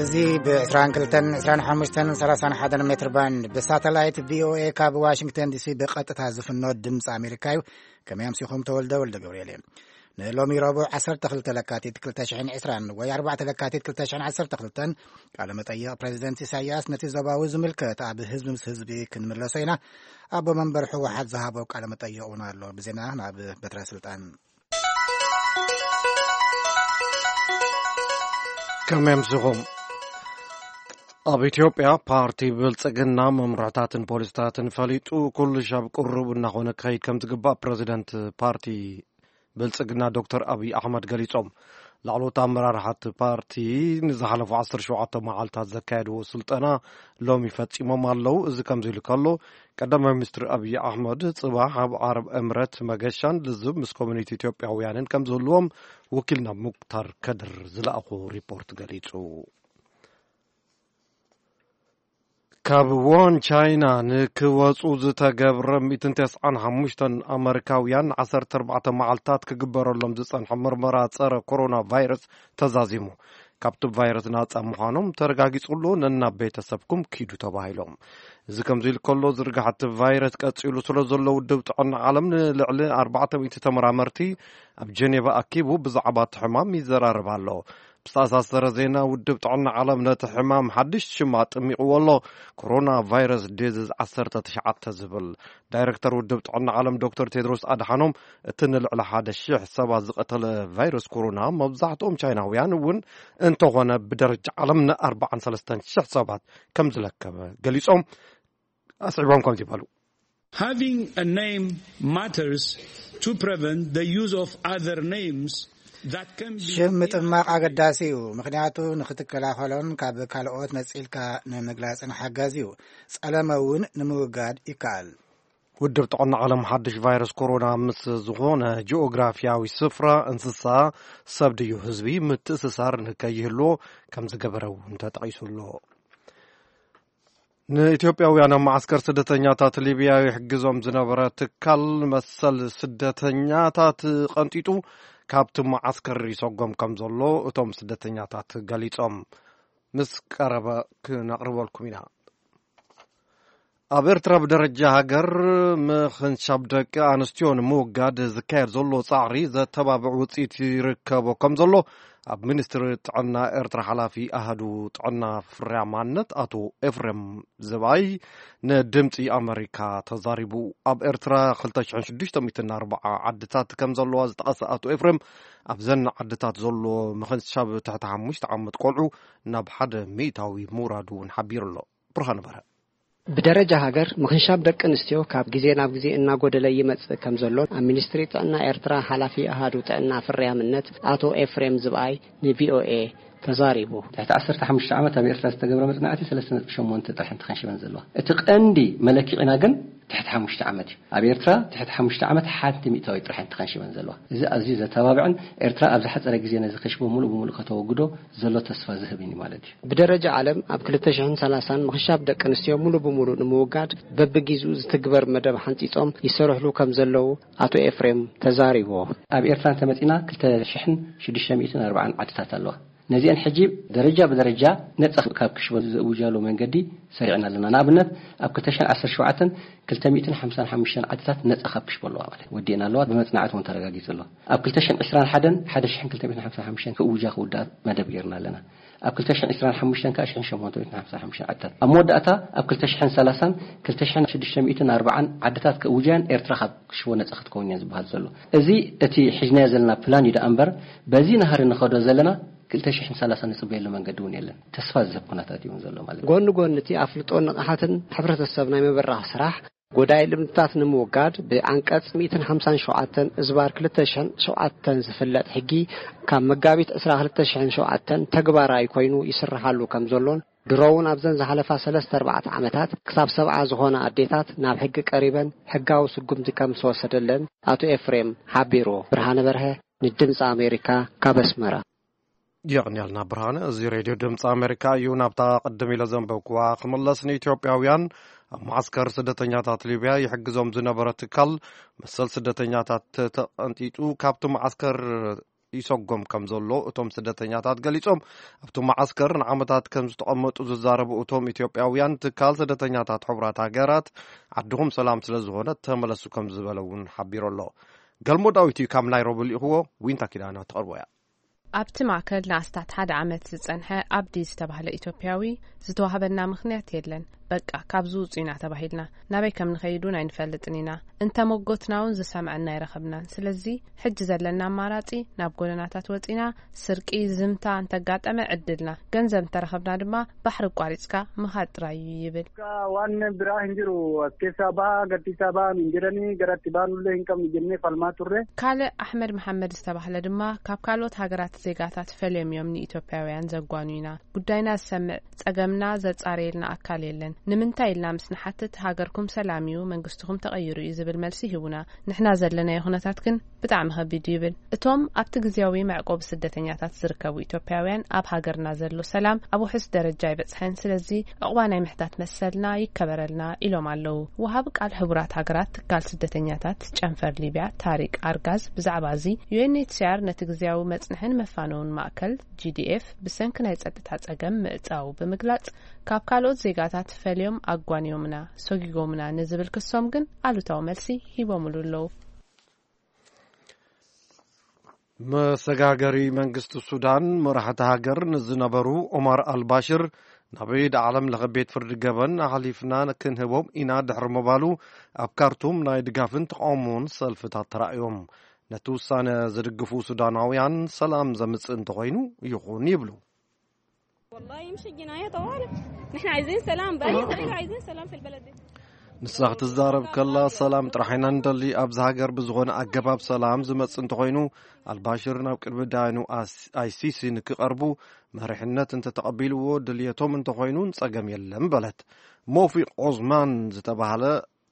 እዚ ብ22፣ 25፣ 31 ሜትር ባንድ ብሳተላይት ቪ ኦ ኤ ካብ ዋሽንግተን ዲ ሲ ብቐጥታ ዝፍኖ ድምፂ ኣሜሪካ እዩ። ከመይ ኣምሲኹም? ተወልደ ወልደ ገብርኤል እየ። ንሎሚ ረቡዕ ዓሰርተ ክልተ ለካቲት ክልተ ሽሕን ዕስራን ወይ ኣርባዕተ ለካቲት ክልተ ሽሕን ዓሰርተ ክልተን ቃለ መጠይቕ ፕሬዚደንት ኢሳያስ ነቲ ዞባዊ ዝምልከት ኣብ ህዝቢ ምስ ህዝቢ ክንምለሶ ኢና። ኣቦ መንበር ህወሓት ዝሃቦ ቃለ መጠይቕ እውን ኣሎ። ብዜና ናብ በትረ ስልጣን። ከመይ ኣምሲኹም? ኣብ ኢትዮጵያ ፓርቲ ብልጽግና መምርሕታትን ፖሊሲታትን ፈሊጡ ኩሉ ሻብ ቅሩብ እናኾነ ክኸይድ ከም ዝግባእ ፕረዚደንት ፓርቲ ብልጽግና ዶክተር ኣብይ ኣሕመድ ገሊጾም። ላዕለዎት ኣመራርሓት ፓርቲ ንዝሓለፉ ዓሰርተ ሸውዓተ መዓልታት ዘካየድዎ ስልጠና ሎሚ ፈጺሞም ኣለዉ። እዚ ከምዚ ኢሉ ከሎ፣ ቀዳማይ ሚኒስትር ኣብይ ኣሕመድ ጽባሕ ኣብ ዓረብ ኤምረት መገሻን ልዝብ ምስ ኮሚኒቲ ኢትዮጵያውያንን ከም ዝህልዎም ወኪልና ሙክታር ከድር ዝለኣኾ ሪፖርት ገሊጹ። ካብ ዎን ቻይና ንክወጹ ዝተገብረ ሚእትን ተስዓን ሓሙሽተን ኣመሪካውያን ዓሰርተ ኣርባዕተ መዓልታት ክግበረሎም ዝጸንሐ ምርመራ ጸረ ኮሮና ቫይረስ ተዛዚሙ። ካብቲ ቫይረስ ናጻ ምዃኖም ተረጋጊጹ ኣሎ፣ ነናብ ቤተሰብኩም ኪዱ ተባሂሎም። እዚ ከምዚ ኢሉ ከሎ፣ ዝርግሐቲ ቫይረስ ቀጺሉ ስለ ዘሎ፣ ውድብ ጥዕና ዓለም ንልዕሊ ኣርባዕተ ሚእቲ ተመራመርቲ ኣብ ጀኔቫ ኣኪቡ ብዛዕባ እቲ ሕማም ይዘራረብ ኣሎ። ብዝተኣሳሰረ ዜና፣ ውድብ ጥዕና ዓለም ነቲ ሕማም ሓድሽ ሽም ኣጠሚቕዎ ኣሎ፣ ኮሮና ቫይረስ ዲዚዝ ዓሰርተ ትሽዓተ ዝብል። ዳይረክተር ውድብ ጥዕና ዓለም ዶክተር ቴድሮስ ኣድሓኖም፣ እቲ ንልዕሊ ሓደ ሽሕ ሰባት ዝቐተለ ቫይረስ ኮሮና፣ መብዛሕትኦም ቻይናውያን እውን እንተኾነ፣ ብደረጃ ዓለም ንኣርባዓን ሰለስተን ሽሕ ሰባት ከም ዝለከመ ገሊጾም። ኣስዒቦም ከምዚ በሉ። Having a name matters to prevent the use of other names that can be ሽም ምጥማቕ ኣገዳሲ እዩ፣ ምኽንያቱ ንኽትከላኸሎን ካብ ካልኦት ነጺልካ ንምግላጽን ሓጋዚ እዩ። ጸለመ እውን ንምውጋድ ይከኣል። ውድብ ጥዕና ዓለም ሓድሽ ቫይረስ ኮሮና ምስ ዝኾነ ጂኦግራፊያዊ ስፍራ፣ እንስሳ፣ ሰብ ድዩ ህዝቢ ምትእስሳር ንከይህልዎ ከም ዝገበረ እውን ተጠቒሱ ኣሎ። ንኢትዮጵያውያን ኣብ መዓስከር ስደተኛታት ሊብያ ይሕግዞም ዝነበረ ትካል መሰል ስደተኛታት ቀንጢጡ ካብቲ መዓስከር ይሰጎም ከም ዘሎ እቶም ስደተኛታት ገሊጾም። ምስ ቀረበ ክነቕርበልኩም ኢና። ኣብ ኤርትራ ብደረጃ ሃገር ምኽንሻብ ደቂ ኣንስትዮ ንምውጋድ ዝካየድ ዘሎ ጻዕሪ ዘተባብዕ ውጽኢት ይርከቦ ከም ዘሎ ኣብ ሚኒስትሪ ጥዕና ኤርትራ ሓላፊ ኣሃዱ ጥዕና ፍርያማነት ኣቶ ኤፍሬም ዝባይ ንድምጺ ኣመሪካ ተዛሪቡ። ኣብ ኤርትራ ክልተ ሽሕን ሽዱሽተ ሚእትን ኣርባዓ ዓድታት ከም ዘለዋ ዝጠቐሰ ኣቶ ኤፍሬም፣ ኣብዘን ዓድታት ዘሎ ምኽንሻብ ትሕቲ ሓሙሽተ ዓመት ቆልዑ ናብ ሓደ ሚእታዊ ምውራዱ እውን ሓቢሩ ኣሎ። ብርሃነ በርሀ። ብደረጃ ሃገር ምኽንሻብ ደቂ ኣንስትዮ ካብ ግዜ ናብ ግዜ እናጎደለ ይመጽእ ከም ዘሎን ኣብ ሚኒስትሪ ጥዕና ኤርትራ ሓላፊ ኣሃዱ ጥዕና ፍርያምነት ኣቶ ኤፍሬም ዝብኣይ ንቪኦኤ ተዛሪቡ። ትሕቲ ዓሰርተ ሓሙሽተ ዓመት ኣብ ኤርትራ ዝተገብረ መጽናዕቲ ሰለስተ ነጥቢ ሸሞንተ ጥራሕ እንተኸንሽበን ዘለዋ። እቲ ቀንዲ መለኪዒና ግን ትሕቲ ሓሙሽተ ዓመት እዩ። ኣብ ኤርትራ ትሕቲ ሓሙሽተ ዓመት ሓንቲ ሚእታዊት ጥራሕ እንተኸንሽበን ዘለዋ። እዚ ኣዝዩ ዘተባብዕን ኤርትራ ኣብ ዝሓጸረ ግዜ ነዚ ከሽቦ ሙሉእ ብሙሉእ ከተወግዶ ዘሎ ተስፋ ዝህብን እዩ ማለት እዩ። ብደረጃ ዓለም ኣብ ክልተ ሽሕን ሰላሳን ምኽንሻብ ደቂ ኣንስትዮ ሙሉ ብሙሉ ንምውጋድ በብጊዜኡ ዝትግበር መደብ ሓንጺጾም ይሰርሕሉ ከም ዘለዉ ኣቶ ኤፍሬም ተዛሪቦ። ኣብ ኤርትራ እንተመጺና ክልተ ሽሕን ሽዱሽተ ሚእትን ኣርባዓን ዓድታት ኣለዋ። ነዚአን ሕጂ ደረጃ ብደረጃ ነጻ ካብ ክሽቦ ዘእውጃሉ መንገዲ ሰሪዕና ኣለና። ንኣብነት ኣብ ክልተ ሽሕን ዓሰርተ ሸውዓተን ክልተ ሚእትን ሓምሳን ሓሙሽተን ዓድታት ነጻ ካብ ክሽቦ ኣለዋ ማለት ወዲእና ኣለዋ። ብመጽናዕቲ እውን ተረጋጊጹ ኣሎ። ኣብ ክልተ ሽሕን ዕስራን ሓደን ሓደ ሽሕን ክልተ ሚእትን ሓምሳን ሓሙሽተን ክእውጃ ክውዳእ መደብ ጌርና ኣለና። ኣብ ክልተ ሽሕን ዕስራን ሓሙሽተን ከዓ ሽሕን ሸሞንተ ሚእትን ሓምሳን ሓሙሽተን ዓድታት። ኣብ መወዳእታ ኣብ ክልተ ሽሕን ሰላሳን ክልተ ሽሕን ሽዱሽተ ሚእትን ኣርባዓን ዓድታት ክእውጃን ኤርትራ ካብ ክሽቦ ነጻ ክትከውን እያ ዝበሃል ዘሎ። እዚ እቲ ሒዝናዮ ዘለና ፕላን እዩ ደኣ እምበር በዚ ናህሪ ንኸዶ ዘለና ክልተ ሽሕን ሰላሳን ንጽበየሉ መንገዲ እውን የለን። ተስፋ ዝህብ ኩነታት እዩ እውን ዘሎ ማለት እዩ። ጎኒ ጎኒ እቲ ኣፍልጦን ንቕሓትን ሕብረተሰብ ናይ ምብራኽ ስራሕ፣ ጎዳኢ ልምድታት ንምውጋድ ብዓንቀጽ ሚእትን ሓምሳን ሸውዓተን እዝባር ክልተ ሽሕን ሸውዓተን ዝፍለጥ ሕጊ ካብ መጋቢት ዕስራ ክልተ ሽሕን ሸውዓተን ተግባራዊ ኮይኑ ይስርሓሉ ከም ዘሎን ድሮ እውን ኣብዘን ዝሓለፋ ሰለስተ ኣርባዕተ ዓመታት ክሳብ ሰብዓ ዝኾና ኣዴታት ናብ ሕጊ ቀሪበን ሕጋዊ ስጉምቲ ከም ዝተወሰደለን ኣቶ ኤፍሬም ሓቢሩ። ብርሃነ በርሀ ንድምፂ ኣሜሪካ ካብ ኣስመራ። የቕንያልና ብርሃነ። እዚ ሬድዮ ድምፂ ኣሜሪካ እዩ። ናብታ ቅድም ኢለ ዘንበብኩዋ ክምለስ፣ ንኢትዮጵያውያን ኣብ ማዓስከር ስደተኛታት ሊብያ ይሕግዞም ዝነበረ ትካል መሰል ስደተኛታት ተቐንጢጡ ካብቲ ማዓስከር ይሰጎም ከም ዘሎ እቶም ስደተኛታት ገሊጾም። ኣብቲ መዓስከር ንዓመታት ከም ዝተቐመጡ ዝዛረቡ እቶም ኢትዮጵያውያን፣ ትካል ስደተኛታት ሕቡራት ሃገራት ዓድኹም ሰላም ስለ ዝኾነ ተመለሱ ከም ዝበለ እውን ሓቢሩ ኣሎ። ገልሞ ዳዊት እዩ ካብ ናይሮቢ ልኢኽዎ። ዊንታ ኪዳነ ትቐርቦ እያ። ኣብቲ ማእከል ንኣስታት ሓደ ዓመት ዝጸንሐ ኣብዲ ዝተባህለ ኢትዮጵያዊ፣ ዝተዋህበና ምኽንያት የለን፣ በቃ ካብዚ ውጹ ኢና ተባሂልና፣ ናበይ ከም ንኸይድ እውን ኣይንፈልጥን ኢና፣ እንተመጎትና እውን ዝሰምዐና ኣይረኸብናን። ስለዚ ሕጂ ዘለና ኣማራጺ ናብ ጎደናታት ወጺና፣ ስርቂ፣ ዝምታ እንተጋጠመ ዕድልና፣ ገንዘብ እንተረኸብና ድማ ባሕሪ ኣቋሪጽካ ምኻድ ጥራይ እዩ ይብል። Akka waan biraa hin jiru. As keessaa baha, gadhiisaa baha hin jedhanii, gara itti baanullee hin qabnu jennee falmaa turre. ካልእ ኣሕመድ መሓመድ ዝተባህለ ድማ፣ ካብ ካልኦት ሃገራት ዜጋታት ፈልዮም እዮም ንኢትዮጵያውያን ዘጓኑና። ጉዳይና ዝሰምዕ ጸገምና ዘጻረየልና ኣካል የለን። ንምንታይ ኢልና ምስ ንሓትት፣ ሃገርኩም ሰላም እዩ፣ መንግስትኹም ተቐይሩ እዩ ዝብል መልሲ ይህቡና። ንሕና ዘለናዮ ኩነታት ግን ብጣዕሚ ከቢድ እዩ ይብል። እቶም ኣብቲ ግዝያዊ መዕቆቢ ስደተኛታት ዝርከቡ ኢትዮጵያውያን፣ ኣብ ሃገርና ዘሎ ሰላም ኣብ ውሑስ ደረጃ ኣይበጽሐን፣ ስለዚ ዕቑባ ናይ ምሕታት መሰልና ይከበረልና ኢሎም ኣለዉ። ወሃቢ ቃል ሕቡራት ሃገራት ትካል ስደተኛታት ጨንፈር ሊብያ ታሪቅ ኣርጋዝ ብዛዕባ እዚ፣ ዩ ኤን ኤች ሲ ኣር ነቲ ግዝያዊ መጽንሕን መፋነውን ማእከል ጂ ዲ ኤፍ ብሰንኪ ናይ ጸጥታ ጸገም ምዕጻው ብምግላጽ፣ ካብ ካልኦት ዜጋታት ፈልዮም ኣጓንዮምና፣ ሰጒጎምና ንዝብል ክሶም ግን ኣሉታዊ መልሲ ሂቦምሉ ኣለዉ። መሰጋገሪ መንግስቲ ሱዳን፣ መራሕቲ ሃገር ንዝነበሩ ኦማር ኣልባሽር ናብ ኢድ ዓለም ለኸ ቤት ፍርዲ ገበን ኣሕሊፍና ክንህቦም ኢና ድሕሪ ምባሉ፣ ኣብ ካርቱም ናይ ድጋፍን ተቃውሞን ሰልፍታት ተራእዮም። ነቲ ውሳነ ዝድግፉ ሱዳናውያን፣ ሰላም ዘምጽእ እንተኾይኑ ይኹን ይብሉ። والله مش الجناية طوالي. نحن عايزين سلام، بأي طريقة عايزين سلام في البلد دي. ንሳ ክትዛረብ ከላ፣ ሰላም ጥራሕ ኢና ንደሊ። ኣብዚ ሃገር ብዝኾነ ኣገባብ ሰላም ዝመጽእ እንተኾይኑ፣ ኣልባሽር ናብ ቅድሚ ዳያኑ ኣስ-፣ ኣይ ሲ ሲ ንክቐርቡ መሪሕነት እንተተቐቢልዎ፣ ድልየቶም እንተኾይኑ ጸገም የለን በለት። ሞፊቅ ኦዝማን ዝተባህለ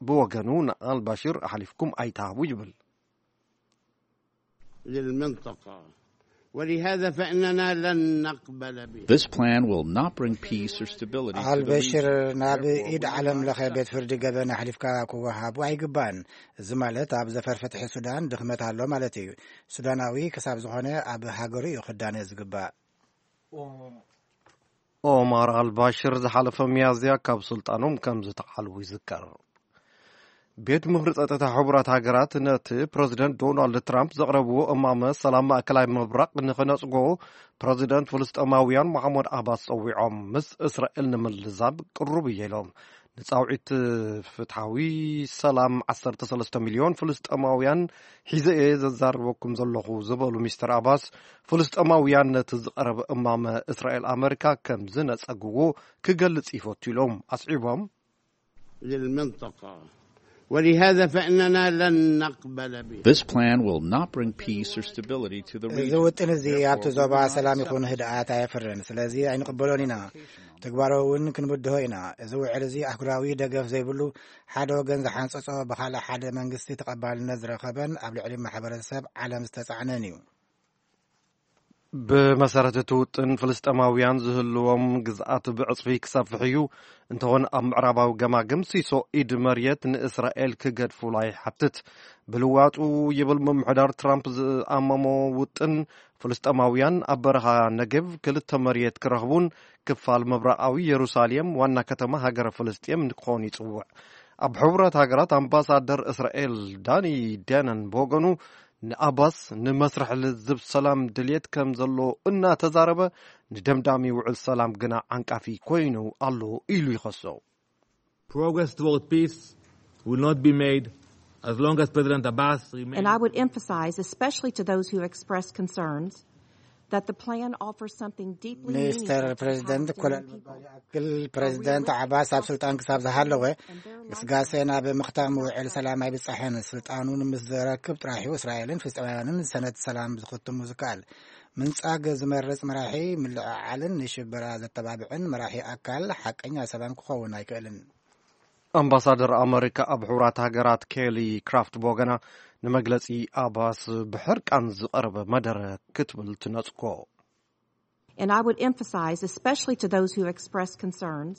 ብወገኑ፣ ንኣልባሽር ኣሕሊፍኩም ኣይትሃቡ ይብል። للمنطقة، ولهذا فإننا لن نقبل به. This plan will not bring peace or stability to the ኣልበሽር region. ናብ Therefore, ኢድ we ዓለም will ለኸ not ቤት ፍርዲ ገበን ኣሕሊፍካ ክወሃቡ ኣይግባን። እዚ ማለት ኣብ ዘፈር ፍትሒ ሱዳን ድኽመት ኣሎ ማለት እዩ። ሱዳናዊ ክሳብ ዝኾነ ኣብ ሃገሩ እዩ ክዳነ ዝግባእ። ኦማር ኣልባሽር ዝሓለፈ ሚያዝያ ካብ ስልጣኖም ከም ዝተዓልዉ ይዝከር። ቤት ምኽሪ ጸጥታ ሕቡራት ሃገራት ነቲ ፕረዚደንት ዶናልድ ትራምፕ ዘቕረብዎ እማመ ሰላም ማእከላይ ምብራቕ ንኽነጽጎ ፕረዚደንት ፍልስጤማውያን መሓሙድ ዓባስ ጸዊዖም፣ ምስ እስራኤል ንምልዛብ ቅሩብ እየ ኢሎም። ንጻውዒት ፍትሓዊ ሰላም ዓሰርተ ሰለስተ ሚልዮን ፍልስጤማውያን ሒዘ እየ ዘዛርበኩም ዘለኹ ዝበሉ ሚስተር ዓባስ፣ ፍልስጤማውያን ነቲ ዝቐረበ እማመ እስራኤል ኣመሪካ ከም ዝነጸግዎ ክገልጽ ይፈቱ ኢሎም። ኣስዒቦም፣ للمنطقة، ولهذا فإننا لن نقبل به. This plan will not bring peace or stability to the region. እዚ ውጥን እዚ ኣብቲ ዞባ ሰላም ይኹን ህድኣት ኣየፍርን። ስለዚ ኣይንቕበሎን ኢና። ተግባራዊ እውን ክንብድሆ ኢና። እዚ ውዕል እዚ ኣህጉራዊ ደገፍ ዘይብሉ፣ ሓደ ወገን ዝሓንጸጾ፣ ብኻልእ ሓደ መንግስቲ ተቐባልነት ዝረኸበን ኣብ ልዕሊ ማሕበረሰብ ዓለም ዝተጻዕነን እዩ። ብመሰረት እቲ ውጥን፣ ፍልስጤማውያን ዝህልዎም ግዝኣት ብዕጽፊ ክሰፍሕ እዩ። እንተኾነ፣ ኣብ ምዕራባዊ ገማግም ሲሶ ኢድ መሬት ንእስራኤል ክገድፉላ ይሓትት። ብልዋጡ ይብል ምምሕዳር ትራምፕ ዝኣመሞ ውጥን፣ ፍልስጤማውያን ኣብ በረኻ ነጌቭ ክልተ መሬት ክረኽቡን ክፋል ምብራቓዊ የሩሳሌም ዋና ከተማ ሃገረ ፍልስጤም ንክኾን ይጽውዕ። ኣብ ሕቡራት ሃገራት ኣምባሳደር እስራኤል ዳኒ ዳነን ብወገኑ፣ ንኣባስ ንመስርሕ ልዝብ ሰላም ድልየት ከም ዘሎ እናተዛረበ፣ ንደምዳሚ ውዕል ሰላም ግና ዓንቃፊ ኮይኑ ኣሎ ኢሉ ይኸሶ። Progress toward peace will not be made as long as President Abbas remains. And I would emphasize, especially to those who expressed concerns, that the plan offers something deeply meaningful to Palestinian people. ሚስተር ፕሬዚደንት፣ ኮለል ምባል ይኣክል፣ ፕሬዚደንት ዓባስ ኣብ ስልጣን ክሳብ ዝሃለወ፣ ግስጋሴ ናብ ምኽታም ውዕል ሰላም ኣይብጻሕን። ስልጣኑ ንምስ ዘረክብ ጥራሕ እዩ እስራኤልን ፍልስጤማውያንን ሰነድ ሰላም ዝኽትሙ ዝከኣል። ምንጻግ ዝመርጽ መራሒ፣ ምልዕዓልን ንሽበራ ዘተባብዕን መራሒ ኣካል ሓቀኛ ሰላም ክኸውን ኣይክእልን። ኣምባሳደር ኣመሪካ ኣብ ሕቡራት ሃገራት ኬሊ ክራፍት ብወገና፣ ንመግለጺ ኣባስ ብሕርቃን ዝቐረበ መደረ ክትብል ትነጽጎ። And I would emphasize, especially to those who expressed concerns,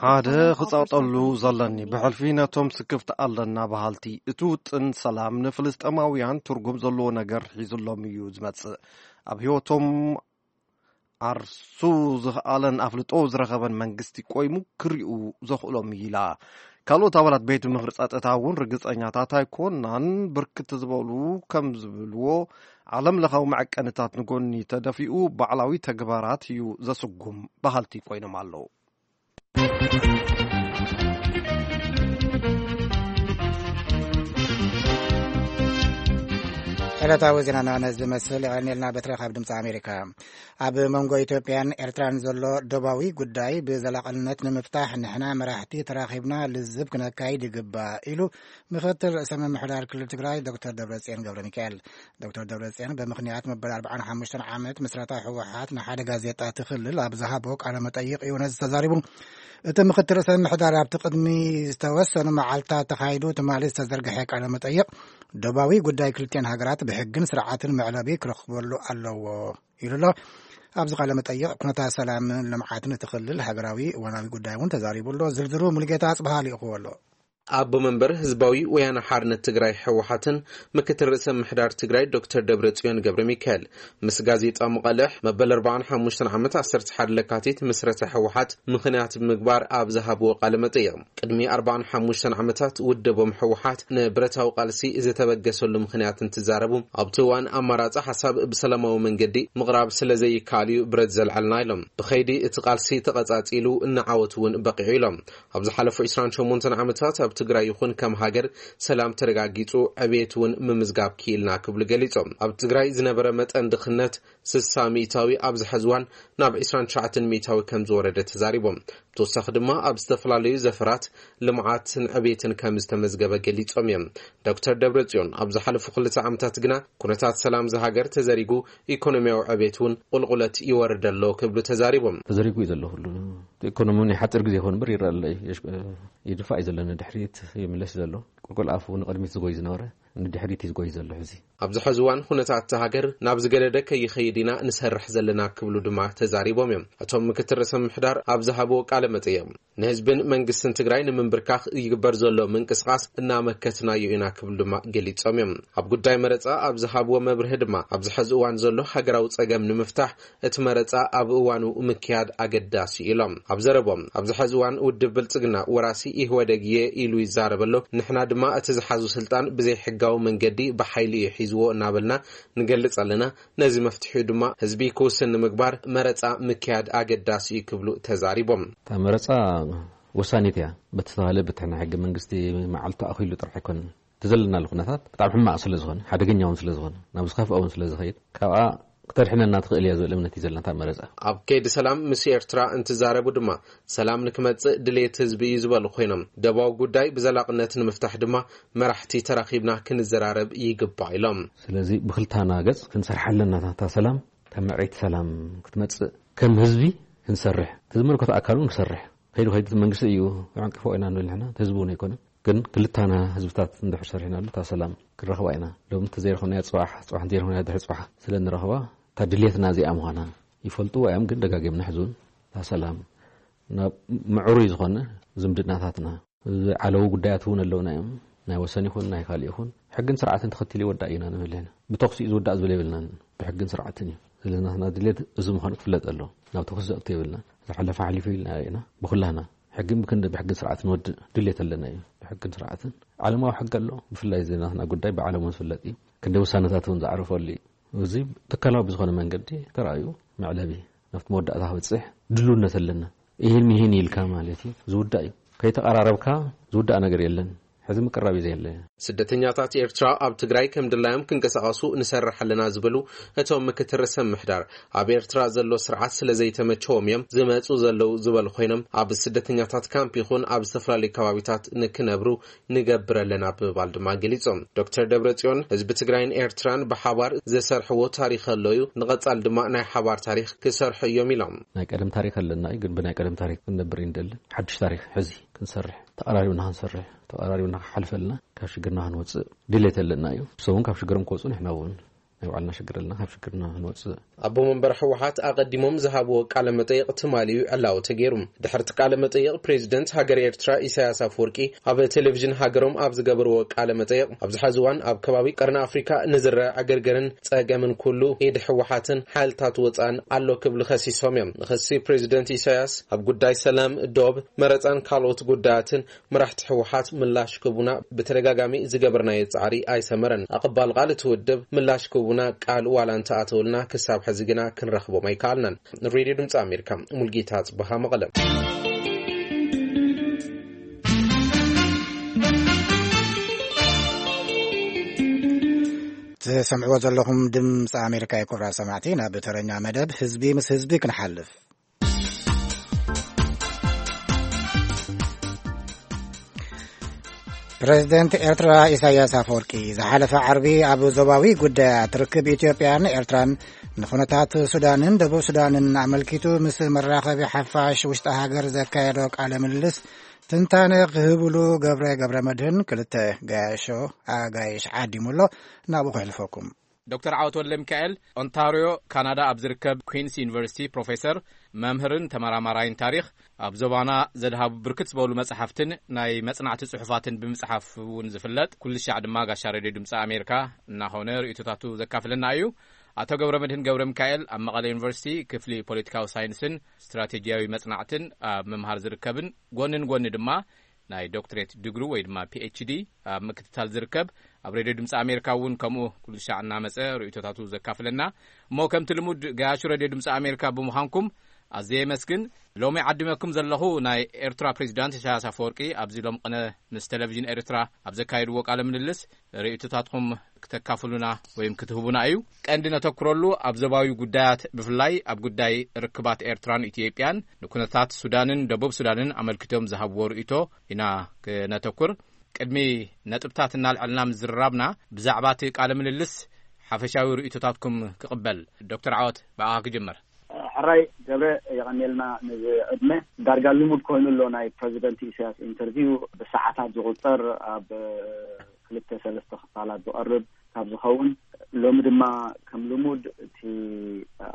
ሓደ ክጸቕጠሉ ዘለኒ ብሕልፊ ነቶም ስክፍቲ ኣለና በሃልቲ፣ እቲ ውጥን ሰላም ንፍልስጤማውያን ትርጉም ዘለዎ ነገር ሒዙሎም እዩ ዝመጽእ። ኣብ ህይወቶም ዓርሱ ዝኽኣለን ኣፍልጦ ዝረኸበን መንግስቲ ቆይሙ ክሪኡ ዘኽእሎም እዩ ኢላ። ካልኦት ኣባላት ቤት ምኽሪ ጸጥታ እውን ርግጸኛታት ኣይኮናን። ብርክት ዝበሉ ከም ዝብልዎ፣ ዓለም ለኻዊ መዐቀንታት ንጎኒ ተደፊኡ ባዕላዊ ተግባራት እዩ ዘስጉም በሃልቲ ኮይኖም ኣለዉ። ዕለታዊ ዜናና ነዚ ዝመስል የቐንየልና። በትረ ካብ ድምፂ ኣሜሪካ። ኣብ መንጎ ኢትዮጵያን ኤርትራን ዘሎ ዶባዊ ጉዳይ ብዘላቕነት ንምፍታሕ ንሕና መራሕቲ ተራኺብና ልዝብ ክነካይድ ይግባእ ኢሉ ምክትል ርእሰ ምምሕዳር ክልል ትግራይ ዶክተር ደብረጽዮን ገብረ ሚካኤል። ዶክተር ደብረጽዮን ብምኽንያት መበል ኣርባዓን ሓሙሽተን ዓመት ምስረታ ህወሓት ንሓደ ጋዜጣ እቲ ክልል ኣብ ዝሃቦ ቃለ መጠይቕ እዩ ነዚ ተዛሪቡ። እቲ ምክትል ርእሰ ምምሕዳር ኣብቲ ቅድሚ ዝተወሰኑ መዓልታት ተኻይዱ ትማሊ ዝተዘርግሐ ቃለ መጠይቕ ዶባዊ ጉዳይ ክልቲኣን ሃገራት ብሕግን ስርዓትን መዕለቢ ክረኽበሉ ኣለዎ ኢሉ ኣሎ። ኣብዚ ቃለ መጠይቕ ኩነታት ሰላምን ልምዓትን እቲ ክልል ሃገራዊ እዋናዊ ጉዳይ እውን ተዛሪቡ ኣሎ። ዝርዝሩ ሙሉጌታ ኣጽብሃ ልኢኽዎ ኣሎ። ኣቦ መንበር ህዝባዊ ወያነ ሓርነት ትግራይ ህወሓትን ምክትል ርእሰ ምሕዳር ትግራይ ዶክተር ደብረጽዮን ገብረ ሚካኤል ምስ ጋዜጣ መቐልሕ መበል ኣርባዓን ሓሙሽተን ዓመት ዓሰርተ ሓደ ለካቲት ምስረተ ህወሓት ምኽንያት ብምግባር ኣብ ዝሃብዎ ቃለ መጠይቕ፣ ቅድሚ ኣርባዓን ሓሙሽተን ዓመታት ውድቦም ህወሓት ንብረታዊ ቃልሲ ዝተበገሰሉ ምኽንያት እንትዛረቡ፣ ኣብቲ እዋን ኣማራጺ ሓሳብ ብሰላማዊ መንገዲ ምቕራብ ስለ ዘይከኣል እዩ ብረት ዘልዓልና ኢሎም። ብኸይዲ እቲ ቃልሲ ተቐጻጺሉ፣ ንዓወት እውን በቒዑ ኢሎም። ኣብ ዝሓለፉ ዕስራን ሸሞንተን ዓመታት ኣብ ትግራይ ይኹን ከም ሃገር ሰላም ተረጋጊጹ፣ ዕብየት እውን ምምዝጋብ ክኢልና ክብሉ ገሊጾም። ኣብ ትግራይ ዝነበረ መጠን ድኽነት ስሳ ሚእታዊ ኣብዚ ሐዚ እዋን ናብ ዕስራን ትሽዓተን ሚእታዊ ከም ዝወረደ ተዛሪቦም። ብተወሳኺ ድማ ኣብ ዝተፈላለዩ ዘፈራት ልምዓትን ዕብየትን ከም ዝተመዝገበ ገሊጾም እዮም። ዶክተር ደብረጽዮን ኣብ ዝሓለፉ ክልተ ዓመታት ግና ኩነታት ሰላም እዛ ሃገር ተዘሪጉ፣ ኢኮኖሚያዊ ዕብየት እውን ቁልቁለት ይወርድ ኣሎ ክብሉ ተዛሪቦም። ተዘሪጉ እዩ ዘሎ ኩሉ። ኢኮኖሚ ናይ ሓፂር ግዜ ይኾን እምበር ይረአ ኣሎ እዩ። የሽ-፣ ይድፋእ እዩ ዘሎ ንድሕሪት ይምለስ እዩ ዘሎ። ቁልቁል ኣፉ ንቕድሚት ዝጎይ ዝነበረ ንድሕሪት እዩ ዝጎይ ዘሎ ሕዚ። ኣብዚ ሐዚ እዋን ኩነታት እታ ሃገር ናብ ዝገደደ ከይኸይድ ኢና ንሰርሕ ዘለና ክብሉ ድማ ተዛሪቦም እዮም። እቶም ምክትል ርእሰ ምምሕዳር ኣብ ዝሃብዎ ቃለ መጠይቕ፣ ንህዝብን መንግስትን ትግራይ ንምንብርካኽ ይግበር ዘሎ ምንቅስቓስ እናመከትናዮ ኢና ክብሉ ድማ ገሊጾም እዮም። ኣብ ጉዳይ መረጻ ኣብ ዝሃብዎ መብርሂ ድማ፣ ኣብዚ ሐዚ እዋን ዘሎ ሃገራዊ ጸገም ንምፍታሕ እቲ መረጻ ኣብ እዋኑ ምክያድ ኣገዳሲ ኢሎም። ኣብ ዘረቦም፣ ኣብዚ ሐዚ እዋን ውድብ ብልጽግና ወራሲ ኢህወደግ እየ ኢሉ ይዛረብ ኣሎ። ንሕና ድማ እቲ ዝሓዙ ስልጣን ብዘይሕጋዊ መንገዲ ብሓይሊ እዩ ሒዝዎ እናበልና ንገልጽ ኣለና። ነዚ መፍትሒኡ ድማ ህዝቢ ክውስን ንምግባር መረጻ ምክያድ ኣገዳሲ እዩ ክብሉ ተዛሪቦም። እታ መረጻ ወሳኒት እያ። በቲ ዝተባህለ በቲ ናይ ሕገ መንግስቲ መዓልቲ ኣኺሉ ጥራሕ ኣይኮነን። እቲ ዘለናሉ ኩነታት ብጣዕሚ ሕማቕ ስለ ዝኾነ፣ ሓደገኛ እውን ስለ ዝኾነ፣ ናብ ዝኸፍአ እውን ስለ ዝኸይድ፣ ካብኣ ክተድሕነና ትኽእል እያ ዝብል እምነት እዩ ዘለና እታ መረጻ። ኣብ ከይዲ ሰላም ምስ ኤርትራ እንትዛረቡ ድማ፣ ሰላም ንክመጽእ ድሌት ህዝቢ እዩ ዝበሉ ኮይኖም፣ ደባዊ ጉዳይ ብዘላቕነት ንምፍታሕ ድማ መራሕቲ ተራኺብና ክንዘራረብ ይግባእ ኢሎም። ስለዚ ብክልታና ገጽ ክንሰርሓ ኣለና። እታ ሰላም፣ እታ ምዕረይቲ ሰላም ክትመጽእ ከም ህዝቢ ክንሰርሕ፣ እቲ ዝምልከቶ ኣካል እውን ክሰርሕ፣ ከይዱ ከይዱ እቲ መንግስቲ እዩ ክዕንቅፎ ኢና ንብል ንሕና፣ እቲ ህዝቢ እውን ኣይኮነን። ግን ክልታና ህዝብታት እንድሕር ሰሪሕናሉ እታ ሰላም ክንረኽባ ኢና። ሎም እንተዘይረኽብናያ ጽባሕ፣ ጽባሕ እንተዘይረኽብናያ ድሕሪ ጽባሕ ስለ እንረኽባ፣ እታ ድልየትና እዚኣ ምዃና ይፈልጥዎ እዮም። ግን ደጋጊምና ሕዚ እውን እታ ሰላም ናብ ምዕሩይ ዝኾነ ዝምድናታትና፣ ዝዓለዉ ጉዳያት እውን ኣለውና እዮም። ናይ ወሰን ይኹን ናይ ካልእ ይኹን፣ ሕግን ስርዓትን ተኸቲሉ ይወዳእ ኢና ንብል ኢና። ብተኹሲ እዩ ዝውዳእ ዝብል የብልናን። ብሕግን ስርዓትን እዩ። ስለዚ ናትና ድሌት እዚ ምዃኑ ክፍለጥ ኣለዎ። ናብ ተኹሲ ዘእቱ የብልናን። ዝሓለፈ ሓሊፉ ኢልና ኢና። ብኹላህና ሕግን ብክንዲ ብሕግን ስርዓትን ወድእ ድሌት ኣለና እዩ። ብሕግን ስርዓትን ዓለማዊ ሕጊ ኣሎ። ብፍላይ እዚ ናትና ጉዳይ ብዓለም እውን ዝፍለጥ እዩ። ክንዲ ውሳነታት እውን ዝዓረፈሉ እዩ። እዚ ትካላዊ ብዝኾነ መንገዲ ተራእዩ መዕለቢ ናብቲ መወዳእታ ክበጽሕ ድልውነት ኣለና። ይህን ይህን ኢልካ ማለት እዩ ዝውዳእ እዩ። ከይተቐራረብካ ዝውዳእ ነገር የለን። ሕዚ ምቅራብ እዩ ዘየለ። ስደተኛታት ኤርትራ ኣብ ትግራይ ከም ድላዮም ክንቀሳቐሱ ንሰርሕ ኣለና ዝበሉ እቶም ምክትል ርእሰ ምምሕዳር፣ ኣብ ኤርትራ ዘሎ ስርዓት ስለ ዘይተመቸዎም እዮም ዝመጹ ዘለዉ ዝበሉ ኮይኖም፣ ኣብ ስደተኛታት ካምፕ ይኹን ኣብ ዝተፈላለዩ ከባቢታት ንክነብሩ ንገብር ኣለና ብምባል ድማ ገሊጾም። ዶክተር ደብረጽዮን፣ ህዝቢ ትግራይን ኤርትራን ብሓባር ዘሰርሕዎ ታሪኽ ኣሎ እዩ፣ ንቐጻል ድማ ናይ ሓባር ታሪኽ ክሰርሑ እዮም ኢሎም። ናይ ቀደም ታሪኽ ኣለና እዩ፣ ግን ብናይ ቀደም ታሪኽ ክንነብር እዩ ንደሊ። ሓድሽ ታሪኽ ሕዚ ክንሰርሕ፣ ተቐራሪብና ክንሰርሕ፣ ተቐራሪብና ክሓልፈልና፣ ካብ ሽግርና ክንወጽእ ድሌት ኣለና እዩ። ንሶም እውን ካብ ሽግሮም ክወጹ ንሕና እውን ናይ ባዕልና ሽግር ኣለና፣ ካብ ሽግርና ክንወፅእ። ኣቦ መንበር ህወሓት ኣቐዲሞም ዝሃብዎ ቃለ መጠይቕ ትማሊ እዩ ዕላዊ ተገይሩ። ድሕርቲ ቃለ መጠይቕ፣ ፕሬዚደንት ሃገር ኤርትራ ኢሳያስ ኣፈወርቂ ኣብ ቴሌቪዥን ሃገሮም ኣብ ዝገበርዎ ቃለ መጠይቕ፣ ኣብዚ ሐዚ እዋን ኣብ ከባቢ ቀርኒ ኣፍሪካ ንዝረአ ዕግርግርን ጸገምን ኩሉ ኢድ ህወሓትን ሓይልታት ወፃን ኣሎ ክብሉ ከሲሶም እዮም። ንክሲ ፕሬዚደንት ኢሳያስ ኣብ ጉዳይ ሰላም፣ ዶብ፣ መረፃን ካልኦት ጉዳያትን መራሕቲ ህወሓት ምላሽ ክቡና ብተደጋጋሚ ዝገበርናዮ ጻዕሪ ኣይሰመረን። ኣቐባል ቃል እቲ ውድብ ምላሽ ክቡና ቃል ዋላ እንተኣተውልና ክሳብ ሕዚ ግና ክንረኽቦም ኣይከኣልናን። ሬድዮ ድምፂ ኣሜሪካ፣ ሙልጌታ ጽበሃ መቐለ። ትሰምዕዎ ዘለኹም ድምፂ ኣሜሪካ እዩ። ክቡራት ሰማዕቲ፣ ናብ ተረኛ መደብ ህዝቢ ምስ ህዝቢ ክንሓልፍ። ፕሬዝደንት ኤርትራ ኢሳያስ ኣፈወርቂ ዝሓለፈ ዓርቢ ኣብ ዞባዊ ጉዳያት ርክብ ኢትዮጵያን ኤርትራን ንኹነታት ሱዳንን ደቡብ ሱዳንን ኣመልኪቱ ምስ መራኸቢ ሓፋሽ ውሽጢ ሃገር ዘካየዶ ቃለ ምልልስ ትንታነ ክህብሉ ገብረ ገብረ መድህን ክልተ ገያሾ ኣጋይሽ ዓዲሙ ኣሎ። ናብኡ ከሕልፈኩም። ዶክተር ዓወት ወልደ ሚካኤል፣ ኦንታርዮ ካናዳ ኣብ ዝርከብ ኩንስ ዩኒቨርሲቲ ፕሮፌሰር፣ መምህርን ተመራማራይን ታሪኽ፣ ኣብ ዞባና ዘድሃቡ ብርክት ዝበሉ መጽሓፍትን ናይ መጽናዕቲ ጽሑፋትን ብምጽሓፍ እውን ዝፍለጥ፣ ኩሉ ሻዕ ድማ ጋሻ ሬድዮ ድምፂ ኣሜሪካ እናኾነ ርእይቶታቱ ዘካፍለና እዩ። ኣቶ ገብረ መድህን ገብረ ሚካኤል ኣብ መቐለ ዩኒቨርሲቲ ክፍሊ ፖለቲካዊ ሳይንስን ስትራቴጂያዊ መጽናዕትን ኣብ ምምሃር ዝርከብን፣ ጎንን ጎኒ ድማ ናይ ዶክትሬት ድግሩ ወይ ድማ ፒ ኤች ዲ ኣብ ምክትታል ዝርከብ፣ ኣብ ሬድዮ ድምፂ ኣሜሪካ እውን ከምኡ ኩሉ ሻዕ እናመፀ ርእይቶታቱ ዘካፍለና። እሞ ከምቲ ልሙድ፣ ገያሹ ሬድዮ ድምፂ ኣሜሪካ ብምዃንኩም ኣዝየ የመስግን። ሎሚ ዓዲመኩም ዘለኹ ናይ ኤርትራ ፕሬዚዳንት ኢሳያስ ኣፈወርቂ ኣብዚ ሎም ቅነ ምስ ቴሌቪዥን ኤርትራ ኣብ ዘካየድዎ ቃለ ምልልስ ርእይቶታትኩም ክተካፍሉና ወይም ክትህቡና እዩ። ቀንዲ ነተኩረሉ ኣብ ዞባዊ ጉዳያት፣ ብፍላይ ኣብ ጉዳይ ርክባት ኤርትራን ኢትዮጵያን ንኩነታት ሱዳንን ደቡብ ሱዳንን ኣመልኪቶም ዝሃብዎ ርእይቶ ኢና ክነተኩር። ቅድሚ ነጥብታት እናልዐልና ምዝርራብና፣ ብዛዕባ እቲ ቃለ ምልልስ ሓፈሻዊ ርእይቶታትኩም ክቕበል። ዶክተር ዓወት፣ ብኣኻ ክጅምር። ሕራይ ገብረ፣ የቐንየልና ነዚ ዕድመ። ዳርጋ ልሙድ ኮይኑ ኣሎ ናይ ፕረዚደንት ኢሳያስ ኢንተርቪው፣ ብሰዓታት ዝቑጸር፣ ኣብ ክልተ ሰለስተ ክፋላት ዝቐርብ ካብ ዝኸውን፣ ሎሚ ድማ ከም ልሙድ እቲ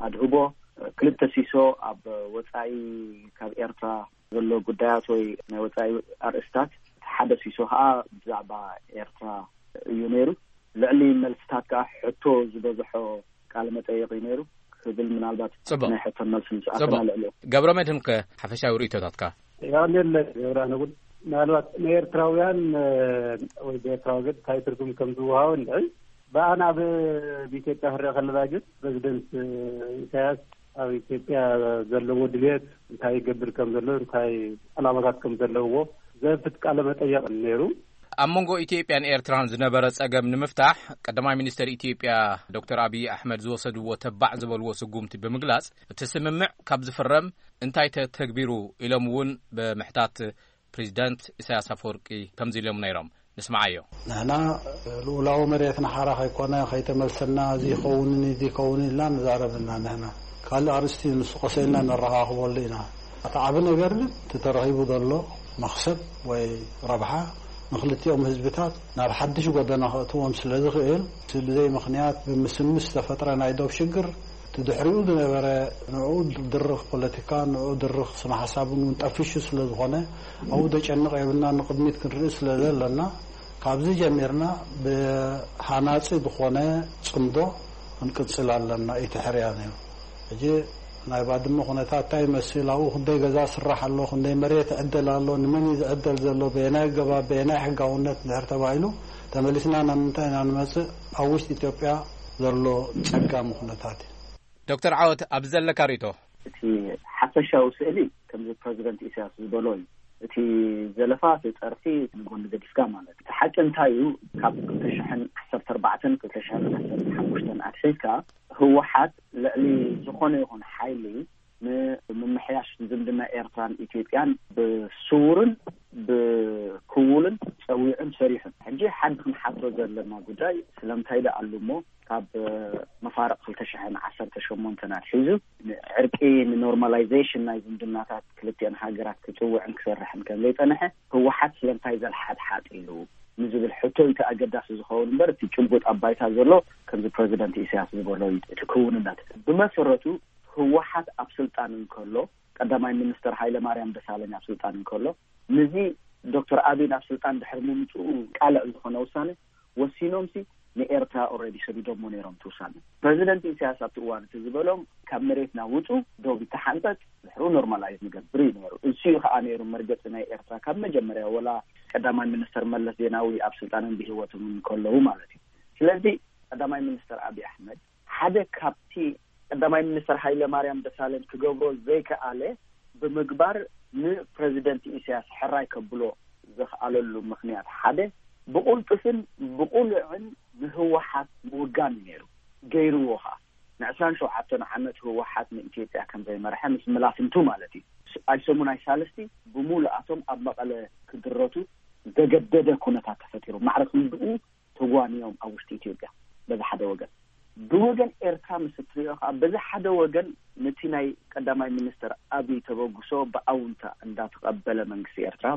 ኣድህቦ ክልተ ሲሶ ኣብ ወጻኢ ካብ ኤርትራ ዘሎ ጉዳያት ወይ ናይ ወጻኢ ኣርእስታት፣ እቲ ሓደ ሲሶ ከዓ ብዛዕባ ኤርትራ እዩ ነይሩ። ልዕሊ መልስታት ከዓ ሕቶ ዝበዝሖ ቃለ መጠይቕ እዩ ነይሩ ክብል፣ ምናልባት ጽቡቕ። ናይ ሕቶን መልስን ምስ ኣተና ጽቡቕ። ልዕሊኡ። ገብረ መድህን ከ ሓፈሻዊ ርእይቶታትካ? የቐንየለ ገብረ ንጉል። ምናልባት ንኤርትራውያን፣ እ፣ ወይ ብኤርትራ ወገን እንታይ ትርጉም ከም ዝወሃቦ እንድዒ፣ ብኣና ብ-፣ ብኢትዮጵያ ክረአ ከለና ግን ፕረዚደንት፣ እ፣ ኢሳያስ ኣብ ኢትዮጵያ ዘለዎ ድልየት እንታይ ይገብር ከም ዘሎ፣ እንታይ ዕላማታት ከም ዘለዎ ዘፍት ቃለ መጠየቕ ነይሩ። ኣብ መንጎ ኢትዮጵያን ኤርትራን ዝነበረ ጸገም ንምፍታሕ ቀዳማይ ሚኒስተር ኢትዮጵያ ዶክተር ኣብይ ኣሕመድ ዝወሰድዎ ተባዕ ዝበልዎ ስጉምቲ ብምግላጽ፣ እቲ ስምምዕ ካብ ዝፍረም እንታይ ተተግቢሩ ኢሎም እውን ብምሕታት ፕሬዚዳንት ኢሳያስ ኣፈወርቂ ከምዚ ኢሎም ነይሮም። ንስምዓዮ። ንሕና ልኡላዊ መሬትና ሓራ ከይኮነ ከይተመልሰና፣ እዚ ይኸውንን እዚ ይኸውንን ኢልና ንዛረብ ኢና። ንሕና ካልእ ኣርእስቲ ንሱ ቀሰ ኢልና ነረኻኽበሉ ኢና። እቲ ዓቢ ነገር ግን እቲ ተረኺቡ ዘሎ መኽሰብ ወይ ረብሓ ንክልቲኦም ህዝብታት ናብ ሓድሽ ጎደና ከእትዎም ስለ ዝኽእል፣ እቲ ብዘይ ምኽንያት ብምስምስ ዝተፈጥረ ናይ ዶብ ሽግር፣ እቲ ድሕሪኡ ዝነበረ ንዕኡ ድርኽ ፖለቲካ፣ ንዕኡ ድርኽ ስነ ሓሳብ እውን ጠፊሹ ስለ ዝኾነ፣ ኣብኡ ደጨንቕ የብልና፣ ንቕድሚት ክንርኢ ስለ ዘለና፣ ካብዚ ጀሚርና ብሃናጺ ዝኾነ ጽምዶ ክንቅጽል ኣለና። ኢቲ ሕርያ ነይሩ። ሕጂ ናይ ባድመ ኩነታት እንታይ ይመስል? ኣብኡ ክንደይ ገዛ ስራሕ ኣሎ? ክንደይ መሬት ይዕደል ኣሎ? ንመን እዩ ዝዕደል ዘሎ? በየናይ ኣገባብ? በየናይ ሕጋውነት? እንድሕር ተባሂሉ፣ ተመሊስና ናብ ምንታይ ኢና ንመጽእ? ኣብ ውሽጢ ኢትዮጵያ ዘሎ ጸጋሚ ኩነታት እዩ። ዶክተር ዓወት፣ ኣብዚ ዘለካ ርእይቶ? እቲ ሓፈሻዊ ስእሊ ከምዚ ፕረዚደንት ኢሳያስ ዝበሎ እዩ። እቲ ዘለፋ፣ እቲ ጸርፊ ንጎኒ ገዲፍካ ማለት እዩ። እቲ ሓቂ እንታይ እዩ? ካብ ክልተ ሽሕን ዓሰርተ ኣርባዕተን ክልተ ሽሕን ዓሰርተ ሓሙሽተን ኣትሒዝካ፣ ህወሓት ልዕሊ ዝኾነ ይኹን ሓይሊ ንምምሕያሽ ዝምድና ኤርትራን ኢትዮጵያን ብስውርን ብክውልን ውዕን ሰሪሑን። ሕጂ ሓዲ ክንሓቶ ዘለና ጉዳይ ስለምንታይ ደኣ ኣሉ እሞ ካብ መፋርቕ ክልተ ሽሕን ዓሰርተ ሸሞንተን ኣትሒዙ ንዕርቂ፣ ንኖርማላይዜሽን ናይ ዝምድናታት ክልቲአን ሃገራት ክጽውዕን ክሰርሕን ከም ዘይጸንሐ ህወሓት ስለምንታይ ዘልሓጥሓጥ ኢሉ ንዝብል ሕቶ እቲ ኣገዳሲ ዝኸውን እምበር፣ እቲ ጭቡጥ ኣብ ባይታ ዘሎ ከምዚ ፕረዚደንት ኢሳያስ ዝበሎ እዩ። እቲ ክውንነት ብመሰረቱ ህወሓት ኣብ ስልጣን እንከሎ፣ ቀዳማይ ሚኒስተር ሃይለ ማርያም ደሳለኝ ኣብ ስልጣን እንከሎ፣ ንዚ ዶክተር ኣቢይ ናብ ስልጣን ድሕሪ ምምፅኡ ቃልዕ ዝኾነ ውሳነ ወሲኖምሲ ንኤርትራ ኦልሬዲ ሰዲዶሞ ነይሮም እቲ ውሳነ። ፕረዚደንት ኢሳያስ ኣብቲ እዋን እቲ ዝበሎም ካብ መሬትና ውፁ፣ ዶብ ይተሓንፀፅ፣ ድሕሩ ኖርማላይዝ ንገብር እዩ ነይሩ። እሱ እዩ ከዓ ነይሩ መርገፂ ናይ ኤርትራ ካብ መጀመርያ፣ ወላ ቀዳማይ ሚኒስተር መለስ ዜናዊ ኣብ ስልጣንን ብህይወቶም እንከለዉ ማለት እዩ። ስለዚ ቀዳማይ ሚኒስተር ኣቢይ ኣሕመድ ሓደ ካብቲ ቀዳማይ ሚኒስተር ሃይለ ማርያም ደሳለኝ ክገብሮ ዘይከኣለ ብምግባር ንፕረዚደንት ኢሳያስ ሕራይ ከብሎ ዘኽኣለሉ ምኽንያት ሓደ ብቕልጡፍን ብቕሉዕን ንህወሓት ምውጋን እዩ ነይሩ። ገይርዎ ኸዓ። ንዕስራን ሸውዓተን ዓመት ህወሓት ንኢትዮጵያ ከም ዘይመርሐ ምስ መላፍንቱ ማለት እዩ። ኣይሰሙን ኣይሳልስቲ ብምሉኣቶም ኣብ መቐለ ክድረቱ ዘገደደ ኩነታት ተፈጢሩ። ማዕረ ክንድኡ ተጓንዮም ኣብ ውሽጢ ኢትዮጵያ በዚ ሓደ ወገን። ብወገን ኤርትራ ምስ እትሪኦ ከዓ በዚ ሓደ ወገን ነቲ ናይ ቀዳማይ ሚኒስተር ኣብይ ተበግሶ ብኣውንታ እንዳተቐበለ መንግስቲ ኤርትራ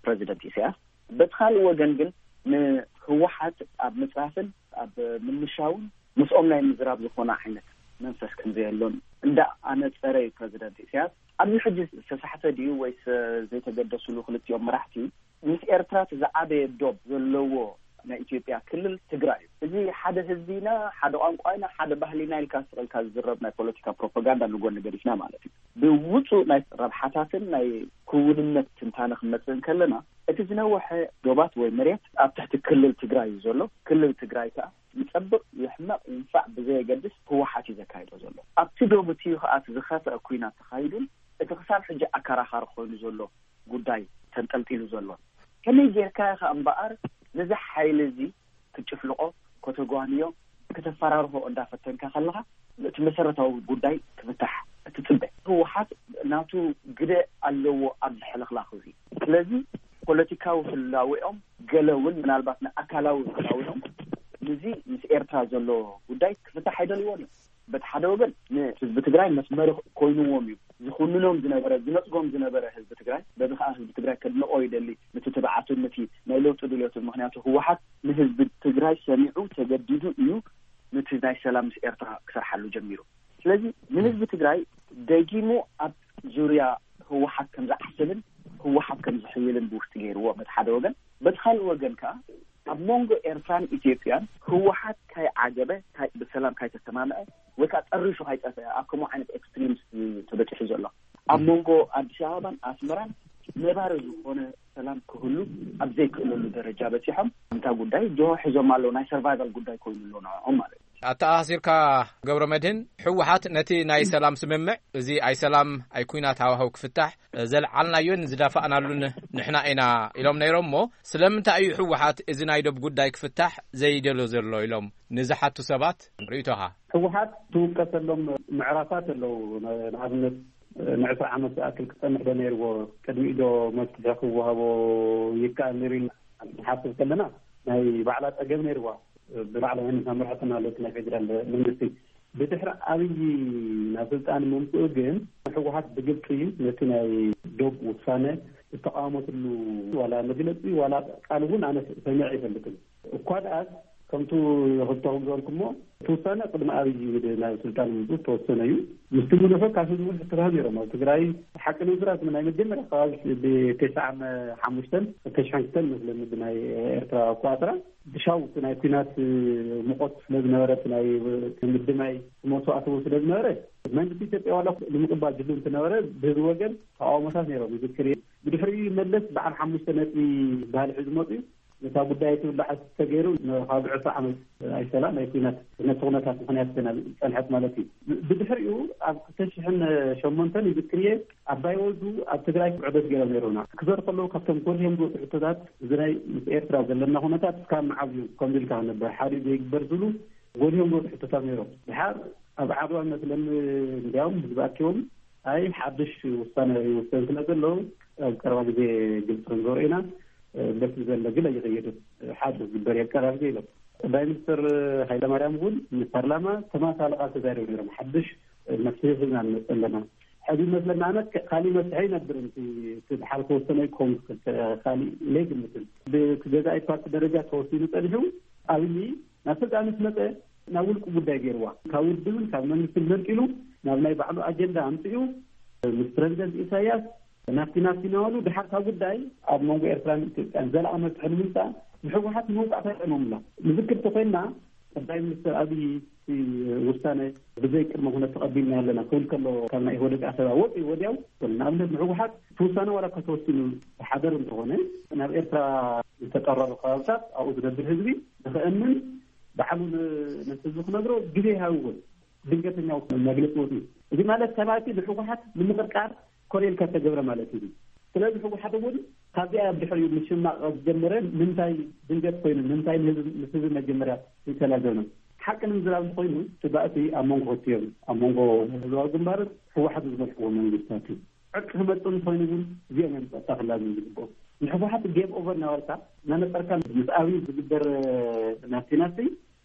ፕረዚደንት ኢሳያስ፣ በቲ ካልእ ወገን ግን ንህወሓት ኣብ ምጽራፍን ኣብ ምምሻውን ምስኦም ናይ ምዝራብ ዝኾነ ዓይነት መንፈስ ከም ዘየሎን እንዳ ኣነጸረ እዩ ፕረዚደንት ኢሳያስ። ኣብዚ ሕጂ ዝተሳሕተ ድዩ ወይስ ዘይተገደስሉ ክልቲኦም መራሕቲ? ምስ ኤርትራ እቲ ዝዓበየ ዶብ ዘለዎ ናይ ኢትዮጵያ ክልል ትግራይ እዩ። እዚ ሓደ ህዝቢ ኢና፣ ሓደ ቋንቋ ኢና፣ ሓደ ባህሊ ኢና ኢልካ ስቕ ኢልካ ዝዝረብ ናይ ፖለቲካ ፕሮፓጋንዳ ንጎኒ ገዲፍና ማለት እዩ። ብውፁእ ናይ ረብሓታትን ናይ ክውንነት ትንታነ ክንመፅእ እንከለና፣ እቲ ዝነወሐ ዶባት ወይ መሬት ኣብ ትሕቲ ክልል ትግራይ እዩ ዘሎ። ክልል ትግራይ ከዓ ይፀብቕ፣ ይሕመቕ፣ ይንፋዕ ብዘየገድስ ህወሓት እዩ ዘካይዶ ዘሎ። ኣብቲ ዶብ እቲ እዩ ከዓ እቲ ዝኸፍአ ኩናት ተኻይዱን እቲ ክሳብ ሕጂ ኣከራኻሪ ኮይኑ ዘሎ ጉዳይ ተንጠልጢሉ ዘሎ። ከመይ ጌርካ ኢኻ እምበኣር ነዚ ሓይሊ እዚ ክትጭፍልቖ፣ ከተጓንዮ፣ ከተፈራርሆ እንዳፈተንካ ከለኻ እቲ መሰረታዊ ጉዳይ ክፍታሕ እትጽበ? ህወሓት ናቱ ግደ ኣለዎ ኣብዚ ሕልኽላኽ እዚ። ስለዚ ፖለቲካዊ ህላዌኦም ገለ እውን ምናልባት ንኣካላዊ ህላዌኦም ንዚ ምስ ኤርትራ ዘሎ ጉዳይ ክፍታሕ ኣይደልዎን እዮም። በቲ ሓደ ወገን ንህዝቢ ትግራይ መስመሪ ኮይንዎም እዩ። ዝኹንኖም ዝነበረ፣ ዝነጽጎም ዝነበረ ህዝቢ ትግራይ፣ በዚ ከዓ ህዝቢ ትግራይ ከድንቆ ይደሊ፣ ነቲ ትብዓቱን ነቲ ናይ ለውጢ ድልዮቱን። ምኽንያቱ ህወሓት ንህዝቢ ትግራይ ሰሚዑ ተገዲዱ እዩ ነቲ ናይ ሰላም ምስ ኤርትራ ክሰርሓሉ ጀሚሩ። ስለዚ ንህዝቢ ትግራይ ደጊሙ ኣብ ዙርያ ህወሓት ከም ዝዓስልን ህወሓት ከም ዝሕይልን ብውሽጢ ገይርዎ በቲ ሓደ ወገን። በቲ ካልእ ወገን ከዓ ኣብ መንጎ ኤርትራን ኢትዮጵያን ህወሓት ካይ ዓገበ፣ ካይ-፣ ብሰላም ካይተሰማምዐ ወይ ከዓ ጠሪሹ ካይጠፍአ ኣብ ከምኡ ዓይነት ኤክስትሪምስ እዩ ተበፂሑ ዘሎ። ኣብ መንጎ ኣዲስ ኣበባን ኣስመራን ነባሪ ዝኾነ ሰላም ክህሉ ኣብ ዘይክእለሉ ደረጃ በፂሖም፣ እንታ ጉዳይ ጅሆ ሒዞም ኣለዉ። ናይ ሰርቫይቫል ጉዳይ ኮይኑ ኣሎ ንዕኦም ማለት እዩ። ኣተኣሳሲርካ፣ ገብረ መድህን፣ ህወሓት ነቲ ናይ ሰላም ስምምዕ፣ እዚ ኣይ ሰላም ኣይ ኩናት ሃዋህው ክፍታሕ ዘልዓልናዮን ዝዳፋእናሉን ንሕና ኢና ኢሎም ነይሮም እሞ፣ ስለምንታይ እዩ ህወሓት እዚ ናይ ዶብ ጉዳይ ክፍታሕ ዘይደሎ ዘሎ ኢሎም ንዝሓቱ ሰባት ርእይቶኻ? ህወሓት ትውቀሰሎም ምዕራፋት ኣለዉ። ን-፣ ንኣብነት ንዕስራ ዓመት ዝኣክል ክጸንሕ ዶ ነይርዎ? ቅድሚኡ ዶ መፍትሒ ክወሃቦ ይከኣል ነይሩ ኢልና ንሓስብ ከለና ናይ ባዕላ ጸገም ነይርዋ። ብባዕላ መን መምርሕትና ኣለቲ ናይ ፌደራል መንግስቲ። ብድሕሪ ኣብይ ናብ ስልጣን ምምፅኡ ግን ህወሓት ብግልፂ ነቲ ናይ ዶብ ውሳነ ዝተቃወመትሉ ዋላ መግለፂ ዋላ ቃል እውን ኣነ ሰሚዐ ኣይፈልጥን። እኳ ደኣ ከምቱ ክልተኹም ዝበልኩሞ እቲ ውሳነ ቅድሚ ኣብይ ናብ ስልጣን ምምፅኡ ዝተወሰነ እዩ። ምስቲ ምልሑ ካብ ህዝቢ እውን ሕቶታት ነይሮም። ኣብ ትግራይ ሓቂ ንምስራት ናይ መጀመርያ ከባቢ ብተስዓ ሓሙሽተን ተሽሓን ክልተን መስለኒ ብናይ ኤርትራ ኣቆፃፅራ ብሻው እቲ ናይ ኩናት ሙቐት ስለ ዝነበረ፣ እቲ ናይ ምድማይ መስዋእቲ እውን ስለ ዝነበረ፣ መንግስቲ ኢትዮጵያ ዋላ ንምቕባል ድሉ እንትነበረ፣ ብህዝቢ ወገን ተቃውሞታት ነይሮም። ይዝክር እየ። ብድሕሪኡ መለስ በዓል ሓሙሽተ ነጥቢ ባህሊ ሒዙ መፅኡ። ነታ ጉዳይ ትብላዕ ተገይሩ ንካብ ዕስራ ዓመት ኣይሰላ ናይ ኩናት ነቲ ኩነታት ምኽንያት ኮይና ዝፀንሐት ማለት እዩ። ብድሕሪኡ ኣብ ክልተ ሽሕን ሸሞንተን ይዝክር እየ፣ ኣባይ ወልዱ ኣብ ትግራይ ዑደት ገይሮም ነይሮምና። ክዘሩ ከለዉ ካብቶም ጎልሄም ዝወፁ ሕቶታት እዚ ናይ ምስ ኤርትራ ዘለና ኩነታት እስካብ መዓዝ እዩ ከምዚ ኢልካ ክነብር ሓዲኡ ዘይግበር ዝብሉ ጎልሄም ዝወፁ ሕቶታት ነይሮም። ድሓር ኣብ ዓድዋ መስለኒ እንዲያውም ህዝቢ ኣኪቦም ኣይ ሓድሽ ውሳነ ይውሰን ስለ ዘሎ ኣብ ቀረባ ግዜ ግልፂ ክንገብሮ ኢና። በቲ ዘሎ ግን ኣይኸየድን። ሓድሽ ዝግበር የቀራርብ ኢሎም። ቀዳማይ ሚኒስትር ሃይለማርያም እውን ንፓርላማ ተመሳሳሊ ቃል ተዛሪቦም ነይሮም። ሓድሽ መፍትሒ ሒዝና ንመፅእ ኣለና። ሕዚ ይመስለና ኣነ ካሊእ መፍትሒ ኣይነብርን። እቲ እቲ ድሓር ተወሰነ ክኸውን ይኽእል፣ ካሊእ ለይግምትን። ብገዛኢ ፓርቲ ደረጃ ተወሲኑ ፀኒሑ ኣብይ ናብ ስልጣን ምስ መፀ ናብ ውልቂ ጉዳይ ገይርዋ። ካብ ውድብን ካብ መንግስትን መንጢሉ ናብ ናይ ባዕሉ ኣጀንዳ ኣምፅኡ ምስ ፕረዚደንት ኢሳያስ ናፍቲ ናፍቲ እናበሉ ድሓር ካብ ጉዳይ ኣብ መንጎ ኤርትራን ኢትዮጵያን ዘላቒ መፍትሒ ንምምፃእ ንህወሓት ንመውፃእታ ይጠቅሞም ኣሎ። ንዝክር ተኮይንና ቀዳማይ ሚኒስትር ኣብይ እቲ ውሳነ ብዘይ ቅድመ ኩነት ተቐቢልና ኣለና ክብል ከሎ ካብ ናይ ኢህወደግ ኣኼባ ወፂኡ ወዲያው ንኣብነት ንህወሓት እቲ ውሳነ ዋላ እኳ ተወሲኑ ብሓደር እንተኾነ ናብ ኤርትራ ዝተጠረሩ ከባብታት ኣብኡ ዝነብር ህዝቢ ንኽእምን ባዕሉ ን- ንህዝቢ ክነግሮ ግዜ ይሃብዎን ድንገተኛ መግለፂ ወፂኡ። እዚ ማለት ሰማእቲ ንህወሓት ንምቕርቃር ኮነ ኢልካ ተገብረ ማለት እዩ። ስለዚ ህወሓት እውን ካብዚኣ ኣብ ድሕሪኡ ምሽማቕ ዝጀመረ ንምንታይ ድንገት ኮይኑ ንምንታይ ንህዝቢ ምስ ህዝቢ መጀመርያ ይተላዘብና ሓቂ ንምዝራብ እንተኮይኑ እቲ ባእሲ ኣብ መንጎ ክልቲኦም ኣብ መንጎ ህዝባዊ ግንባርን ህወሓት ዝመርሕዎ መንግስታት እዩ። ዕርቂ ክመፅእ እንተኮይኑ ግን እዚኦም እዮም ፀጥታ ክላዘቡ ዝግብኦም። ንህወሓት ጌም ኦቨር እናበልካ እናነፀርካ ምስ ኣብይ ዝግበር ናፍቲ ናፍቲ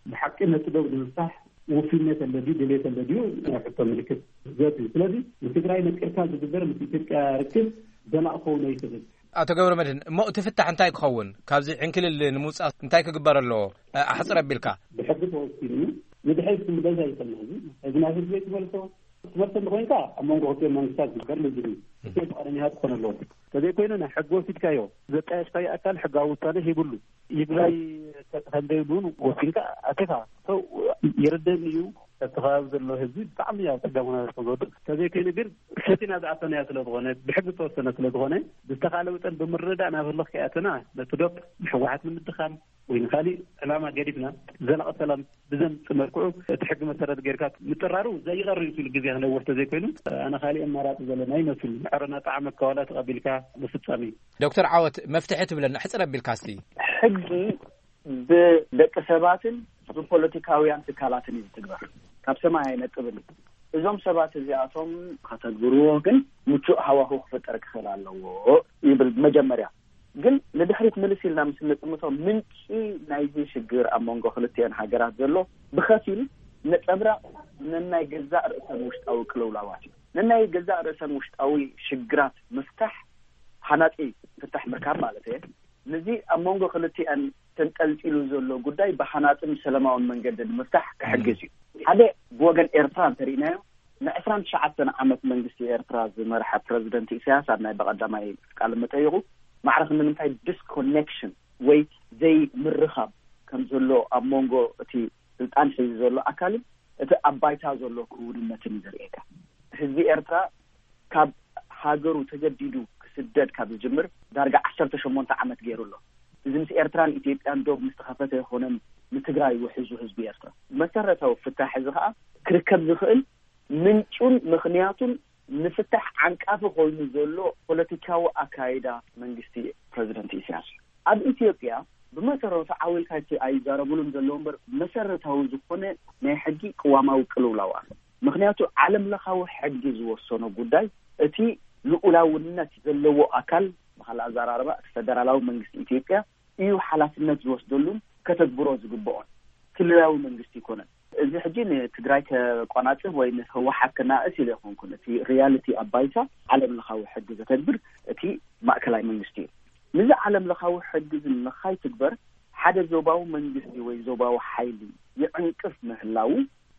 ብሓቂ ነቲ ዶብ ንምፍታሕ ውፍይነት ኣሎ ድዩ ድሌት ኣሎ ድዩ ናይ ሕቶ ምልክት ዘት እዩ። ስለዚ ንትግራይ ነፂርካ ዝግበር ምስ ኢትዮጵያ ርክብ ዘላቂ ክኸውን ኣይክእልን። ኣቶ ገብረ መድህን፣ እሞ እቲ ፍታሕ እንታይ ክኸውን? ካብዚ ዕንክልል ንምውፃእ እንታይ ክግበር ኣለዎ? ኣሕፅር ኣቢልካ። ብሕጊ ተወሲኑ ንድሕሪት ክምለስ ኣይኽእልን። ሕዚ ሕዚ ናብ ህዝቢ ትመልሶ ትመልሶ እንተኮይንካ ኣብ መንጎ ክልቲኦም መንግስታት ዝግበር ልዝብ እዩ። እቲ ፍቃደኛታት ክኾነ ኣለዎ። ተዘይኮይኑ ናይ ሕጊ ወሲድካዮ ዘጣየሽካዮ ኣካል ሕጋዊ ውሳነ ሂብሉ ይግባይ ከምዘይብሉ እውን ወሲንካ ኣቲኻ ሰው ይርደኒ እዩ። እቲ ከባቢ ዘሎ ህዝቢ ብጣዕሚ ኣብ ፀገም ኩነታት ከም ዝወድቅ ተዘይኮይኑ ግን ሕቲና ዝኣተናዮ ስለዝኾነ ብሕጊ ዝተወሰነ ስለዝኾነ ብዝተኻለ መጠን ብምርዳእ ናብ ህልኽ ከይኣተና ነቲ ዶብ ንሕወሓት ንምድኻም ወይ ንካሊእ ዕላማ ገዲፍና ዘላቂ ሰላም ብዘምፅእ መልክዑ እቲ ሕጊ መሰረት ጌርካ ምጥራሩ ዘይቐር እዩ ሲሉ ግዜ ክነውር ተዘይኮይኑ ኣነ ካሊእ ኣማራፂ ዘለና ይመስል። ዕረና ጣዕመ ከዋላ ተቐቢልካ ምፍፃም እዩ። ዶክተር ዓወት መፍትሒ ትብለና ሕፅር ኣቢልካ እስቲ። ሕጊ ብደቂ ሰባትን ብፖለቲካውያን ትካላትን እዩ ዝትግበር። ካብ ሰማይ ኣይነጥብን እዩ። እዞም ሰባት እዚኣቶም ከተግብርዎ ግን ምቹእ ሃዋሁ ክፍጠር ክኽእል ኣለዎ ይብል። መጀመርያ ግን ንድሕሪት ምልስ ኢልና ምስ እንጥምቶ ምንጪ ናይዚ ሽግር ኣብ መንጎ ክልቲአን ሃገራት ዘሎ ብኸፊል ነፀብራቕ ነናይ ገዛእ ርእሰን ውሽጣዊ ቅልውላዋት እዩ። ነናይ ገዛእ ርእሰን ውሽጣዊ ሽግራት ምፍታሕ ሃናፂ ፍታሕ ምርካብ ማለት እየ። ነዚ ኣብ መንጎ ክልቲአን ተንጠልጢሉ ዘሎ ጉዳይ ብሃናፅን ሰላማውን መንገዲ ንምፍታሕ ክሕግዝ እዩ። ሓደ ብወገን ኤርትራ እንተሪእናዮ ንዕስራን ትሽዓተን ዓመት መንግስቲ ኤርትራ ዝመርሐ ፕረዚደንት ኢሳያስ ኣብ ናይ በቐዳማይ ቃለ መጠይቑ ማዕረ ክንዲ ንምንታይ ዲስኮኔክሽን ወይ ዘይምርኻብ ከም ዘሎ ኣብ መንጎ እቲ ስልጣን ሒዙ ዘሎ ኣካልን እቲ ኣብ ባይታ ዘሎ ክውንነትን እዩ ዘርእየካ። ህዝቢ ኤርትራ ካብ ሃገሩ ተገዲዱ ክስደድ ካብ ዝጅምር ዳርጋ ዓሰርተ ሸሞንተ ዓመት ገይሩ ኣሎ። እዚ ምስ ኤርትራን ኢትዮጵያን ዶብ ምስ ተኸፈተ ኣይኮነን ንትግራይ ውሒዙ ህዝቢ ኤርትራ። መሰረታዊ ፍታሕ እዚ ከዓ ክርከብ ዝኽእል ምንጩን ምኽንያቱን ንፍታሕ ዓንቃፊ ኮይኑ ዘሎ ፖለቲካዊ ኣካይዳ መንግስቲ ፕረዚደንት ኢሳያስ እዩ። ኣብ ኢትዮጵያ ብመሰረቱ ዓው ኢልካ ኣይዛረብሉን ዘለዉ እምበር መሰረታዊ ዝኾነ ናይ ሕጊ ቅዋማዊ ቅልውላው ኣሎ። ምኽንያቱ ዓለም ለኻዊ ሕጊ ዝወሰኖ ጉዳይ እቲ ልኡላውነት ዘለዎ ኣካል ብኻልእ ኣዘራርባ እቲ ፈደራላዊ መንግስቲ ኢትዮጵያ እዩ ሓላፍነት ዝወስደሉን ከተግብሮ ዝግብኦን። ክልላዊ መንግስቲ ይኮነን። እዚ ሕጂ ንትግራይ ከቆናጽብ ወይ ንህወሓት ከናእስ ኢሉ ኣይኮንኩን። እቲ ሪያሊቲ ኣብ ባይታ ዓለም ለኻዊ ሕጊ ዘተግብር እቲ ማእከላይ መንግስቲ እዩ። ነዚ ዓለም ለኻዊ ሕጊ እዚ ንኸይትግበር ሓደ ዞባዊ መንግስቲ ወይ ዞባዊ ሓይሊ ይዕንቅፍ ምህላዉ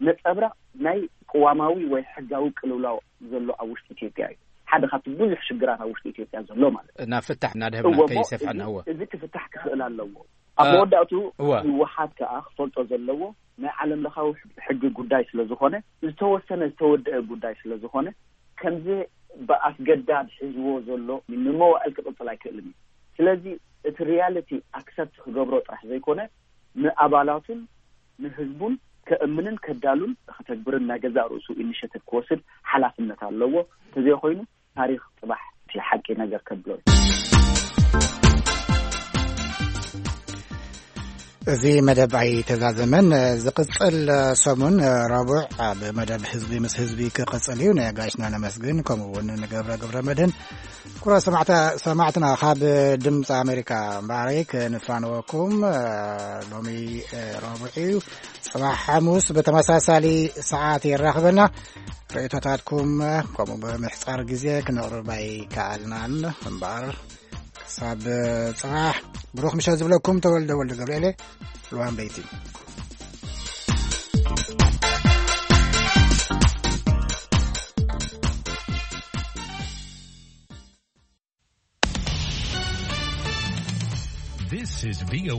ነጸብራቕ ናይ ቅዋማዊ ወይ ሕጋዊ ቅልውላው ዘሎ ኣብ ውሽጢ ኢትዮጵያ እዩ። ሓደ ካብቲ ብዙሕ ሽግራት ኣብ ውሽጢ ኢትዮጵያ ዘሎ ማለት እዩ። ናብ ፍታሕ እናድህብና እወ፣ እሞ ከይሰፍሐና፣ እዚ፣ እወ። እዚ ክፍታሕ ክኽእል ኣለዎ። ኣብ እ፣ መወዳእቱ እወ። ህወሓት ከኣ ክፈልጦ ዘለዎ ናይ ዓለም ለኻዊ ሕጊ ጉዳይ ስለ ዝኾነ፣ ዝተወሰነ ዝተወደአ ጉዳይ ስለ ዝኾነ፣ ከምዚ ብኣስገዳድ ሒዝዎ ዘሎ ንመዋእል ክቕጽል ኣይክእልን እዩ። ስለዚ እቲ ሪያሊቲ ኣክሰፕት ክገብሮ ጥራሕ ዘይኮነ፣ ንኣባላቱን ንህዝቡን ከእምንን ከዳሉን ከተግብርን ናይ ገዛእ ርእሱ ኢኒሼቲቭ ክወስድ ሓላፍነት ኣለዎ። እንተዘይኮይኑ ታሪኽ ጽባሕ እቲ ሓቂ ነገር ከብሎ እዩ። እዚ መደብ ኣይተዛዘመን። ዝቕጽል ሰሙን ረቡዕ ኣብ መደብ ህዝቢ ምስ ህዝቢ ክቕጽል እዩ። ንጋሽና ነመስግን፣ ከምኡ እውን ንገብረ ገብረ መድህን። ክቡራት ሰማዕታ-፣ ሰማዕትና ካብ ድምፂ ኣሜሪካ እምበኣረይ ክንፋነወኩም። ሎሚ ረቡዕ እዩ። ጽባሕ ሓሙስ ብተመሳሳሊ ሰዓት የራኽበና። ርእይቶታትኩም ከምኡ ብምሕጻር ግዜ ክነቕርብ ኣይከኣልናን እምበኣር፣ ክሳብ ጽባሕ ብሩኽ ምሸት ዝብለኩም ተወልደ ወልደ ገብርኤል፣ ልዋም በይቲ። This is V O A.